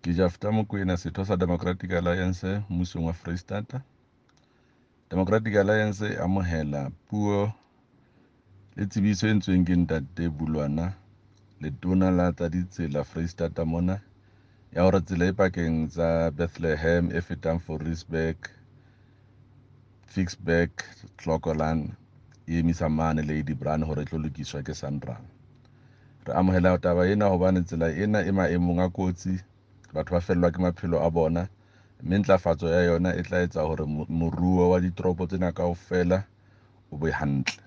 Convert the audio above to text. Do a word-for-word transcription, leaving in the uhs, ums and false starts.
Ke Jafta Mokoena, setho sa Democratic Alliance mmusong wa Freistata. Democratic Alliance e amohela puo le tsebiso e entsweng ke Ntate Bulwana, letona la tsa ditsela Freistata mona, ya hore tsela e pakeng tsa Bethlehem e fetang Fouriesburg, Ficksburg, Clocolan e emisa mane Ladybrand hore e tlo lokiswa ke SANRAL. Re amohela taba ena hobane tsela ena e maemong a kotsi, batho ba fellwa ke maphelo a bona, mme ntlafatso ya yona e tla etsa hore moruo wa ditoropo tsena kaofela o be hantle.